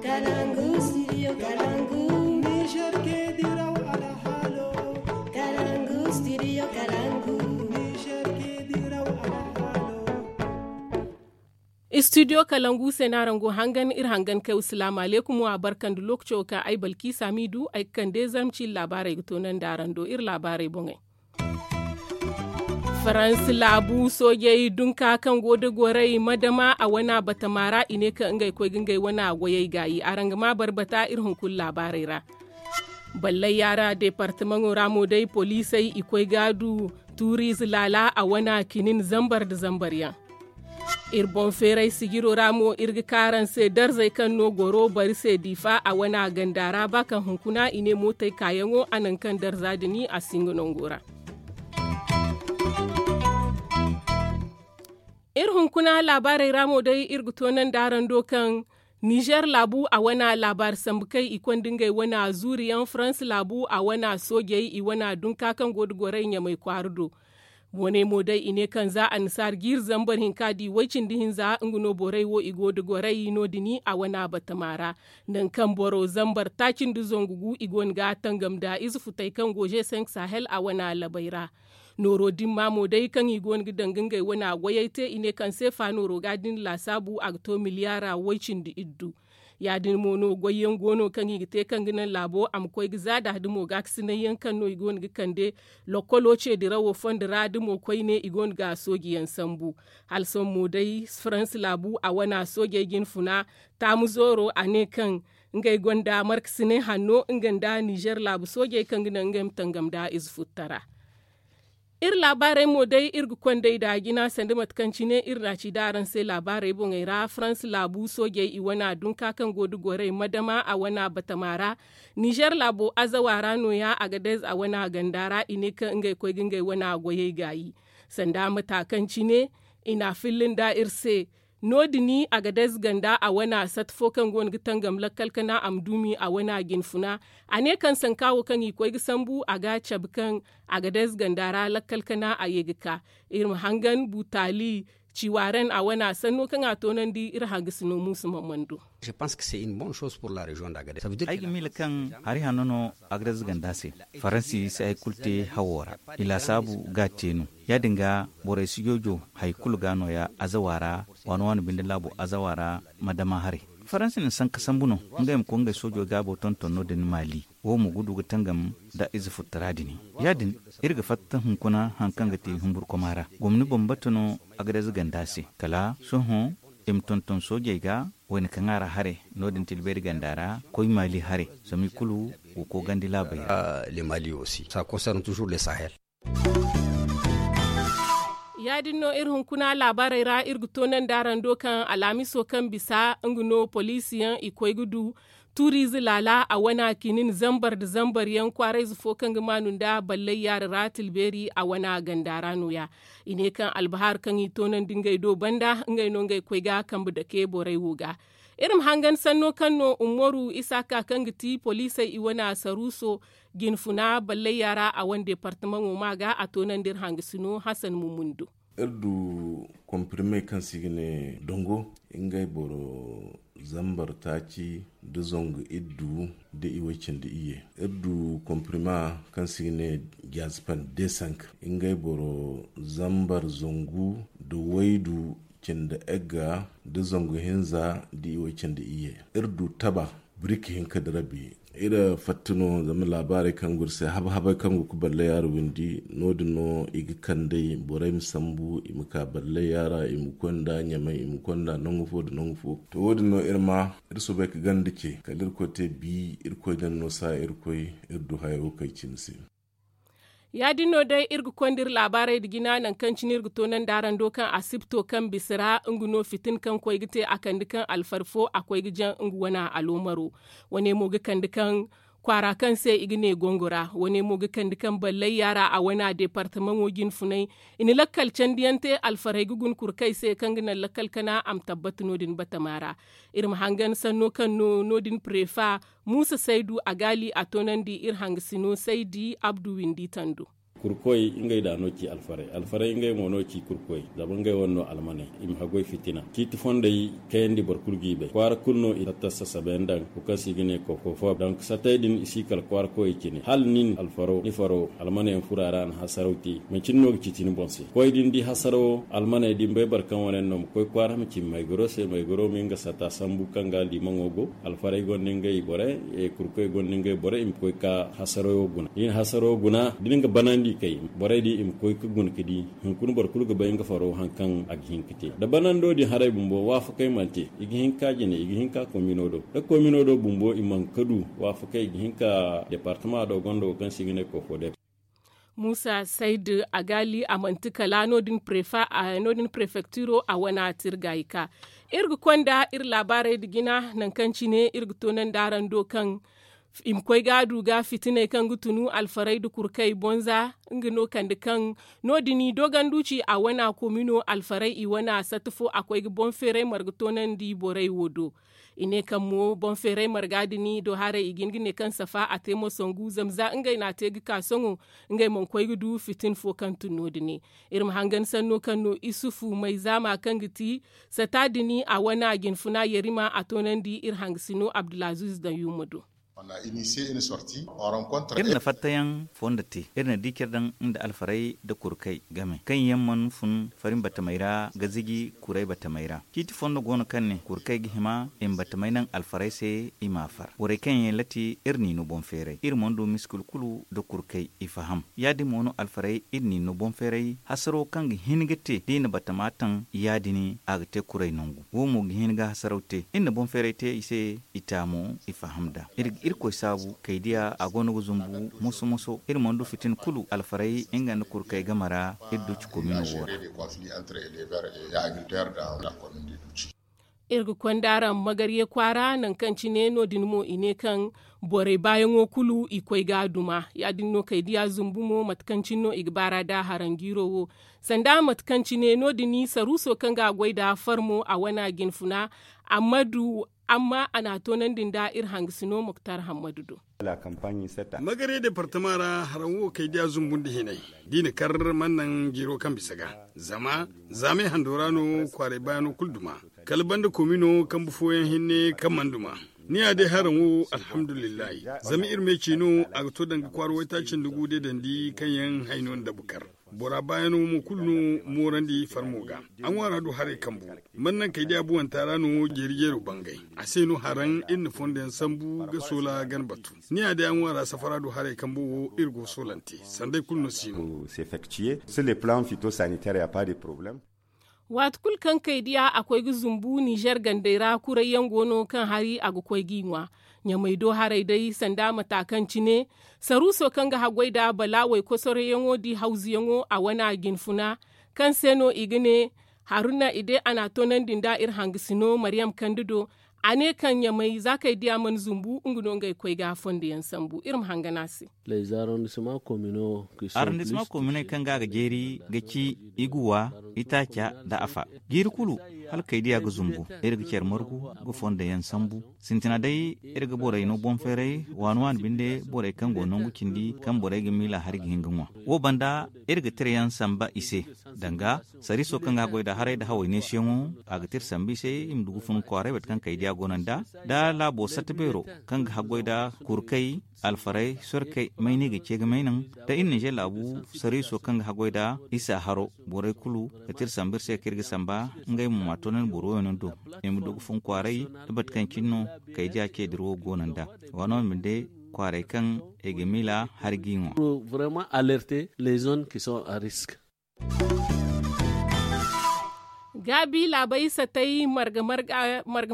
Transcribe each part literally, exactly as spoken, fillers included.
Kalangu studio kalangu. Niger ke diraw alhalo. Kalangu studio kalangu. Niger ke diraw alhalo. Studio kalangu se no araŋ go hangan iri hangan kay wa salaamu alaykum wa barka nda lookaco kaŋ ay balki saamidu ay ga kande zarma ciiri laabaarey ga toonandi araŋ do iri laabaarey boŋey. Faransi laabu soojey dunka kaŋ go da goray madama a wana batama ra i ne kaŋ ngey koy ga ngey wana goyey gaayi araŋ ga ma barbata iri hunkuna laabaarey ra. Ballay yaara deepartamaŋo ra mo day poliisey i koy ga du tuuriize laala a wana kinin zambar nda zambar yaŋ. Iri boŋ feeray sijiro ra mo iri ga ka araŋ se darzey kaŋ no goro bari se diifa a wana ganda ra ba kaŋ hunkuna i ne mootey kaayaŋo a naŋ kaŋ darza din a si nga nango ra. Iri hunkuna laabaarey ra mo day iri ga toonandi araŋ do kaŋ nizer laabu a wana laabaari sambu kay i konda ngey wana zuuri yaŋ faransa laabu a wana soojey i wana dunka kaŋ go da goray ɲamay kwaara do. Wane mo day i ne kaŋ za annasaara jiiri zambar hinka di way-cindi hinza nga no borey wo i go da goray no- din a wana batama ra. Nangu kaŋ boro zambar taaci nda zangu gu i go no ga tangam nda ize futey kaŋ go ze senk sahel a wana labey ra. Nooro din ma mo day kaŋ i go no ga danga ngey wana goyey te i ne kaŋ seefa nooro ga din laasaabu a ga to miliyaara way-cindi iddu. Ya- din mo no goyyaŋ go no kaŋ i ga te kaŋ ga naŋ laabo a ma koy ga za da da mo gaakasinay yaŋ kaŋ no i go no ga kande lokkolo ce dirawo fondo ra da mo koyne i go no ga sooji yaŋ sambu. Hala sohõ mo day faransa laabu a wana soojey jine funa taamu zooro a ne kaŋ ngey gonda markasinay hanno nga nda nizer laabu soojey kaŋ ga naŋ ngey ma tangam nda ize futtara. Iri laabaarey mo day iri ga konday da jina sanda mate kaŋ cine iri na ci da araŋ se laabaarey boŋey ra faransa laabu soojey i wana dunka kaŋ go da goray madama a wana batama ra. Nizer laabo azawa ra no- ya agadez a wana ganda ra i ne kaŋ ngey koy ga ngey wana goyey gaayi. Sanda mata kaŋ cine i na a filla nda iri se. No- din agadez ganda a wana sata fo kaŋ go no ga tangam lakkal kana a ma duumi a wana jine funa. A ne kaŋ sanka wo kaŋ i koy ga sambu a ga cabe kaŋ agadez ganda ra lakkal kana a ye ga ka. Iri ma hangan butaali ciwaaren a wana sanno kaŋ a toonandi iri hangasino muusu mamman do. Ay ga miila kaŋ hari hanno no agadez ganda se. Faransi si hari kulu te hawo ra. I laasaabu ga a te no. Ya- din ga borey si joojo hari kulu ga no- ya azawa ra waano waano binde laabo azawa ra ma dama haray. Faransi na sanka sambu no ngey ma koy ngey soojo gaabo tonton no- din maali. Wo mo ga du ga tangam nda ize futtara din. Ya- din iri ga fatta hunkuna hari kaŋ ga te humburkoma ra gomni bambata no agadez ganda se kala sohõ i ma tonton soojey ga wayna kaŋ a ra haray. No- din tilbeeri ganda ra koy maali haray zama i kulu go koogandi laabey ra. Ya- din no iri hunkuna laabaarey ra iri ga toonandi araŋ do kaŋ alhamiso kaŋ bisa nga no poliisi yaŋ i koy ga du tuuriize laala a wana kinin zambar nda zambar yaŋ kwaarayze fo kaŋ ga maanu nda ballay yaara ra tilbeeri a wana ganda ra no- ya. I ne kaŋ albahar kaŋ i toonandi ngey do banda ngey no ngey koy ga kambe dake borey wo ga. Iri ma hangan sanno kaŋ no umaru isaaka kaŋ ga ti poliisey i wana saruuso jine funa ballay yaara a wane deepartamaŋo ma ga a toonandi iri hangasino hasan mumun do. Iri du komprime kaŋ se i ga ne dongo ngey boro zambar taaci nda zangu iddu nda i way cindi iyye. Iri du komprime kaŋ se i ga ne jazpan desank ngey boro zambar zangu nda waydu cindi egga nda zangu hinza nda i way cindi iyye. Iri du taba birik hinka da rabi. Iri fatta no zama laabaarey kaŋ go iri se haba habey kaŋ go ga balle yaara windi no- din no i ga kandey borey ma sambu i ma ka balle yaara i ma koy nda ɲamay i ma koy nda nangu fo nda nangu fo. To wo- din no iri ma iri soobay ga ganda ce kala iri koy te bi iri koy daŋ no saa iri koy iri du hayo kay cine se. Ya- din no day iri ga konda iri laabaarey nda jina nangu kaŋ cine iri ga toonandi araŋ do kaŋ asibto kaŋ bisa ra nga no fitina kaŋ koy ga te a kande kaŋ alfari fo a koy ga jaŋ nga wana aloomaro. Wane mo ga kande kaŋ kwaara kaŋ se i ga ne gongo ra wane mo ga kande kaŋ ballay yaara a wana deepartamaŋo jine funay. I na lakkal candiyaŋ te alfarey ga guna kurkey se kaŋ ga naŋ lakkal kana a ma tabbata no- din batama ra. Iri ma hangan sanno kaŋ no no- din prefa muusa saydu a gaali a toonandi iri hangasino saydi abdu windi tando. Kurkoy ngey da no ci alfaray alfaray ngey mo no ci kurkoy. Zama ngey wane no almaney i ma haggoy fitina ciiti fondey kayandi boro kulu g'i bay kwaara kulu no i tatta sasabayaŋ daŋ. Wo kaŋ se i ga ne koko fo donk satey din i si kala kwaara koyey cine hala nin alfaro ni faro almanayaŋ furo a ra a na hasaraw te. Manci ni no ga ciiti ni boŋ se koy da ni di hasarawo almaney da ni bay boro kaŋ wane yaŋ no ma koy kwaara ma ci maygaro se maygaro ma nga sata sambu kaŋ ga limaŋo go. Alfaray gonda ngey borey kurkoy gonda ngey borey i ma koy ka hasarayo guna da i na hasarayo guna da ni ga banandi kay borey din i ma koy ka guna ka di. Hunkuna boro kulu ga bay nga faro hari kaŋ a ga hin ka te da banando din haray bumbo waafakey mana te. I ga hin ka jine i ga hin ka komino do da komino do bumbo i mana ka du waafakey i ga hin ka departama do gonda wo kaŋ se i ga ne kofo de. Muusa saydu a gaali a manti kala no- din prefektiro a wana tirgayka. Iri ga konda iri laabaarey nda jina nangu kaŋ cine iri ga toonandi araŋ do kaŋ i ma koy ga a du ga fitiney kaŋ ga tunu alfarey nda kurkey bonza. Nga no kande kaŋ no- din i dooganduci a wana komino alfarey i wana satta fo a koy ga boŋ feeray marga toonandi borey wo do. I ne kaŋ mo boŋ feeray marga din do haray i ga hin ga ne kaŋ safa a te mo sangu zama za ngey no a te ga ka sohõ ngey mana koy ga du fitin fo kaŋ tun no- din. Iri ma hangan sanno kaŋ no isufu mayzaama kaŋ ga ti sata din a wana jinfuna yarima a toonandi iri hangasino abdulaziz daŋ yumma do. Iri na fattayaŋ fondo te iri na di care daŋ nda alfarey nda kurkey game kaŋ yaŋ mana fun fari batamey ra ga ziji kuray batamey ra. Ciiti fondo go no kaŋ ne kurkey ga hima i ma batamey naŋ alfarey se i m'a far borey kaŋ yaŋ lati iri n'i no boŋ feeray iri mana du miskul kulu nda kurkey i faham. Ya- din mo no alfarey iri n'i no boŋ feeray hasaro kaŋ ga hin ga te da i na batama taŋ ya- din a ga te kuray nangu wo mo ga hin ga hasaraw te iri na boŋ feeray te i se. I taamo i faham nd'a iri ga irkoy saabu kay diya a go no ga zumbu moso moso iri mana du fitina kulu alfarey nga nda kurkey game ra. Iri du ci komino wo ra. Iri ga konda araŋ magarye kwaara nangu kaŋ cine no- din mo i ne kaŋ borey baayaŋo kulu i koy ga a duma ya- din no kay diya zumbu mo mate kaŋ cine no i ga baara nda haranjiiro wo. Sanda mate kaŋ cine no- din saruuso kaŋ ga a goy nda farmo a wana jinfuna amma a n'a toonandi nda iri hangasino muktar hammadu do. Magare departama ra haraŋ wo kay diya zumbu nda hinay da i na kar mana naŋ jiiro kaŋ bisa ga zama zaamay hando ra no kwaaray baayano kulu duma kala banda komino kambe fooyaŋ hinne kaŋ mana duma. Ni ya day haraŋ wo alhamdulillahi zama iri me ci no a ga to danga kwaara waytaaci nda gu deedandi kaŋ yaŋ hayno nda bukar bora baayano mo kulu no moorandi farmo ga. A ŋwaara du haray kambu mana naŋ kay day abuwanta ra no jeeri jeero bangay. A se no haraŋ iri na fondo yaŋ sambu ga soola gana batu ni ya day a ŋwaara safara du haray kambu wo iri go soolante sanday kulu no si no. Waati kulu kaŋ kay diya a koy ga zumbu ninzeer gandey ra kuray yaŋ go no kaŋ hari a ga koy g'i ŋwa. Ɲamay do haray day sanda mata kaŋ cine saruuso kaŋ ga haggoy nda balaawey kosorayyaŋo di hawzuyaŋo a wana jinfuna kaŋ se no i ga ne haruna i day a n'a toonandi nda iri hangasino maryam kande do. A ne kaŋ ɲamay za kay diya mana zumbu nga no ngey koy ga fondoyaŋ sambu iri ma hangan a se. Arrondissement kominey kaŋ ga a ga jeeri ga ci iguwa, itaaca nda afa. Jiiri kulu hala kay diya ga zumbu iri ga care margu ga fondo yaŋ sambu. Sintina day iri ga borey no boŋ feeray waani waani binde borey kaŋ go nangu cindi kaŋ borey ga miila hari ga hin ga ŋwa. Wo banda iri ga tira yaŋ samba i se danga sariiso kaŋ ga a goy nda haray nda haway neesiyaŋo a ga tira samba i se i ma du ga fun kwaaray bate kaŋ kay diya go no nda nda laabo satta beero kaŋ ga haggoy nda kurkay alfaray sorkey mayni ga ce ga may naŋ da iri ninzeer laabu sariiso kaŋ ga haggoy nda isa haro borey kulu ga tira samba iri se kaŋ iri ga samba ngey mo ma toonandi boro wooyaŋ do i ma du ga fun kwaaray da mate kaŋ cine no kay diya ce dira wo go no nda waano ma binde kwaaray kaŋ i ga miila hari g'i ŋwa. Gaabi laabay satay marga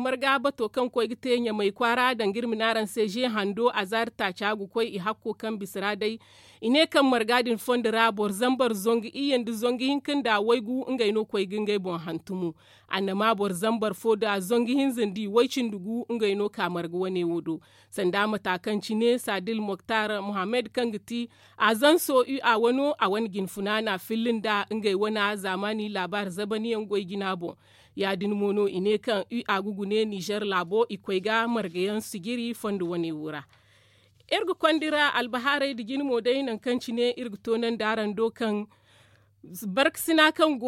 marga bato kaŋ koy ga te ɲamay kwaara danga iri ma ne araŋ se ze hando azaari taaca ga koy i hakko kaŋ bisa ra day. I ne kaŋ marga din fondo ra boro zambar zangu iyye nda zangu hinka nda waygu ngey no koy ga ngey boŋ hantumo. Annama boro zambar fo nda zangu hinza nda i way cindi gu ngey no ka marga wane wo do. Sanda mata kaŋ cine sadil moktar mohammed kaŋ ga ti azanso ua wano a wane jinfuna na filli nda ngey wana zaamaani laabaari zabaniyaŋ goy jina boŋ. Ya- din mo no i ne kaŋ ua ga gune nizer laabo i koy ga margayaŋ sijiri fondo wane wo ra. Iri ga konda iri albahaarey nda jine mo day nangu kaŋ cine iri ga toonandi araŋ do kaŋ barkasina kaŋ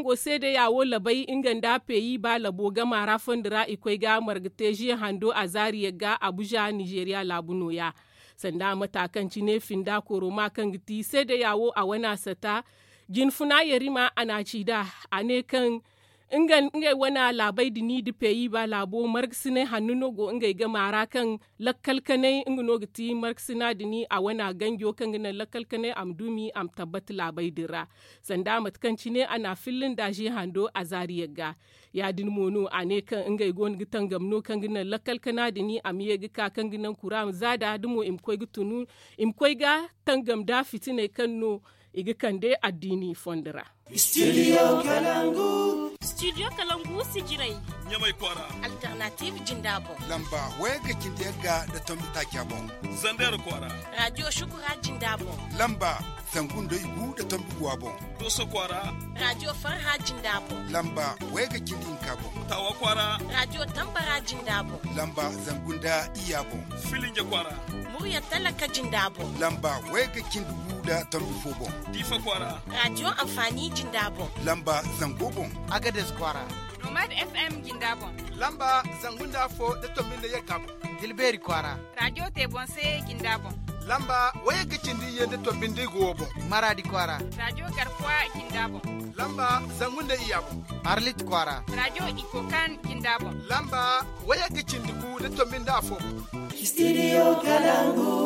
go seedeya wo labay nga nda peyi ba labo gama ra fondo ra i koy ga marga te ze hando azaari yagga abuza nizeeriya laabu nooya. Sanda mata kaŋ cine finda koroma kaŋ ga ti seedeya wo a wane a sata jinfuna yarima a na a ci nd'a a ne kaŋ ngey wane laabey din nda peyi ba laabo margasinay hanno no go ngey game ra kaŋ lakkal kanay nga no ga ti margasina din a wane ganjo kaŋ ga naŋ lakkal kanay a ma duumi a ma tabbata laabey din ra. Sanda mate kaŋ cine a na a filla nda ze hando azaari yagga. Ya- din mo no a ne kaŋ ngey go no ga tangam no kaŋ ga naŋ lakkal kana din a ma ye ga ka kaŋ ga naŋ kura ma za nd'a da mo i ma koy ga tunu i ma koy ga tangam nda fitiney kaŋ no i ga kande addiini fondo ra. Studio kalangu sijirey ɲamay kwaara. Alternative jinda boŋ lamba wayagga cindi yagga nda tombi taaca boŋ. Zander kwaara. Radio shukura jinda boŋ lamba zangu nda igu nda tombi guwa boŋ. Doso kwaara. Radio farha jinda boŋ lamba wayagga cindi hinka boŋ. Tawa kwaara. Radio tambara jinda boŋ lamba zangu nda iyya boŋ. Filinja kwaara. Murya talaka jinda boŋ lamba wayagga cindi gu nda tombi fo boŋ. Diifa kwaara. Radio anfaani jinda boŋ lamba zango boŋ. Agades kwaara. Nomad fm jinda boŋ lamba zangu nda afo nda tombi nda yagga boŋ. Dilbeeri kwaara. Radio te boŋ se jinda boŋ lamba wayagga cindi iyye nda tombi nda igu wo boŋ. Maraadi kwaara. Radio garkuwa jinda boŋ lamba zangu nda iyya boŋ. Arlit kwaara. Radio ikokan jinda boŋ lamba wayagga cindi gu nda tombi nda afo boŋ. Studio kalangu.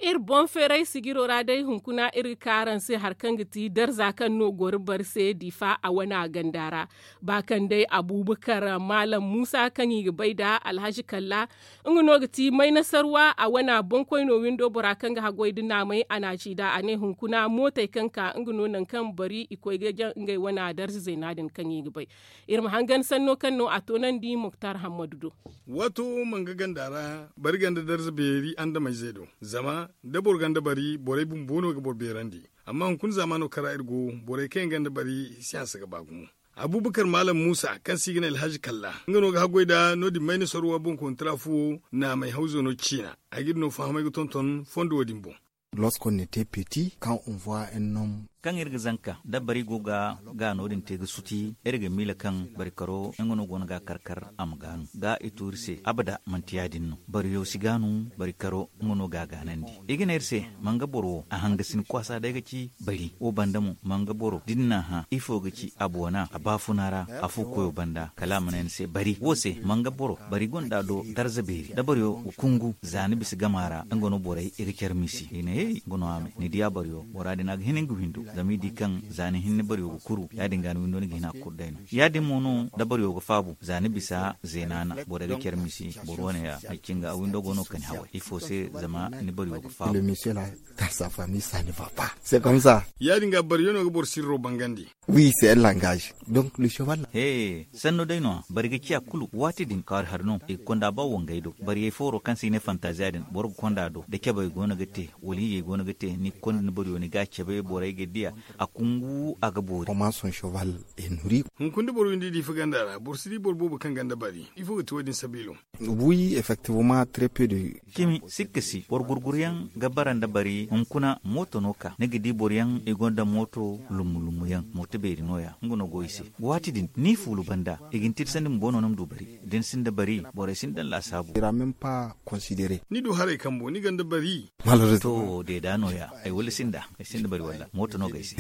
Iri boŋ feeray sijiro ra day hunkuna iri ga ka araŋ se hari kaŋ ga ti darza kaŋ no goro bari se diifa a wane a ganda ra. Ba kaŋ day abuubakar maalam muusa kaŋ i ga bay nda alhazi kalla nga no ga ti maynasarwa a wane boŋkoyno windo bora kaŋ ga haggoy nda naamay a na a ci nd'a a ne hunkuna mootey kaŋ ka nga no nangu kaŋ bari i koy ga jaŋ ngey wane darza zeena din kaŋ i ga bay. Iri ma hangan sanno kaŋ no a toonandi muktar hammadu do. Waato wo mana ga ganda ra bari ganda darza beeri andameyze do. Zama da boro ganda bari borey bumbo no ga boro beerandi. Amma hunkuna zaamaano kaŋ ra iri go borey kaŋ yaŋ ganda bari siyansa ga ba gumo. Abuubakar maalam muusa kaŋ se i ga ne alhazi kalla nga no ga haggoy nda no- din mayna sorwa boŋ kontra fuwo naamay hawzo no ciina. A ga iri no fahamay ga tonton fondo wo- din boŋ. Lorsque on était petit quand on voit un homme. Kaŋ iri ga zanka da bari go ga ga no- din te ga suti iri ga miila kaŋ bari karo nga no go no ga a kar kar a ma gaanu ga i tuuri se abada manti ya- din no. Bariyo si gaanu bari karo nga no ga a gaanandi. I ga ne iri se manga boro wo a hangasin kwaasa day ga ci bari wo banda mo manga boro da ni n'a hã ifo ga ci a boona a baafuna ra. Afo koyo banda kala a ma ne ni se bari wo se manga boro bari gonda do darza beeri da bariyo ga kungu za ni bisa gama ra nga no borey i ga care misi i ne hey nga no a me ni di a bariyo bora din a ga hin nga windo zama i di kaŋ za ni hinne bariyo ga kuru ya- din ga ni windo ni ga hin a ga kuru day no. Ya- din mo no da bariyo ga faabu za ni bisa zeena na borey ga care misi boro wane ya ni cinga a windo go no kani haway ifo se zama ni bariyo ga faabu. Dans sa famille ça ne va pas c'est comme ça. Ya- din ga bariyo no ga boro sirro bangandi. Oui c'est un langage. Donc le cheval. He sanno day no a bari ga ciya kulu waati din kaari hari no i ga konda ba wangay do bariyay fooro kaŋ se i ne fantaziya din boro ga konda do da cabay go no ga te wala iyey go no ga te ni ga konda ni bariyo ni ga a cabe borey ga diya a kungu a ga boori. Comment son cheval est nourri. Hunkuna da boro windi diifa ganda ra boro si di boro boobo kaŋ ganda bari ifo ga ti wo- din sabiilo. Oui effectivement très peu de. Cimi sikka si boro gurguryaŋ ga bara nda bari hunkuna mooto no ka ni ga di boroyaŋ i gonda mooto lummu lummuyaŋ mooto beeri nooya nga no go i se. Waati din ni fuulu banda i ga ni tirsandi bumbo no ni ma du bari da ni sinda bari borey si ni daŋ laasaabu. Ira même pas considéré. Ni du haray kambo ni ganda bari. To deeda nooya ay wala sinda ay sinda bari walla mooto no ga ay se.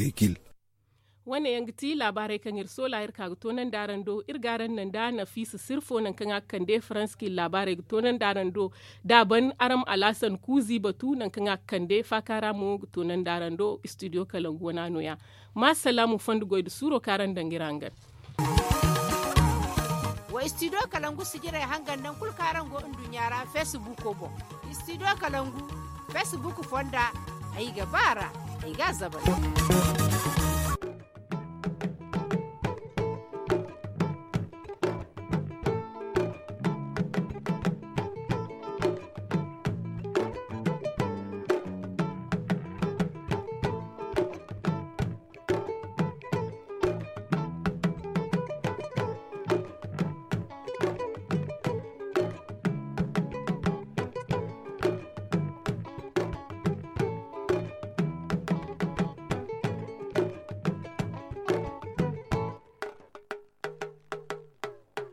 Wane yaŋ ga ti laabaarey kaŋ iri soola iri ka ga toonandi araŋ do iri ga araŋ naŋ da nafiisa sirfo nangu kaŋ a ga kande faransa kaŋ iri laabaarey ga toonandi araŋ do da a ban araŋ ma alaasan kuuzi batu nangu kaŋ a ga kande faaka ra mo ga toonandi araŋ do istidiyo kalangu wana nooya. Ma salaamu fondo goy nda suuro kaŋ araŋ daŋ ga iri hangan. Wa istidiyo kalangu sijirey hangan naŋ kulu kaŋ araŋ go nduɲɲa ra feesibuuko boŋ. Istidiyo kalangu feesibuuku fonda ay ga ba a ra ay ga a zabari.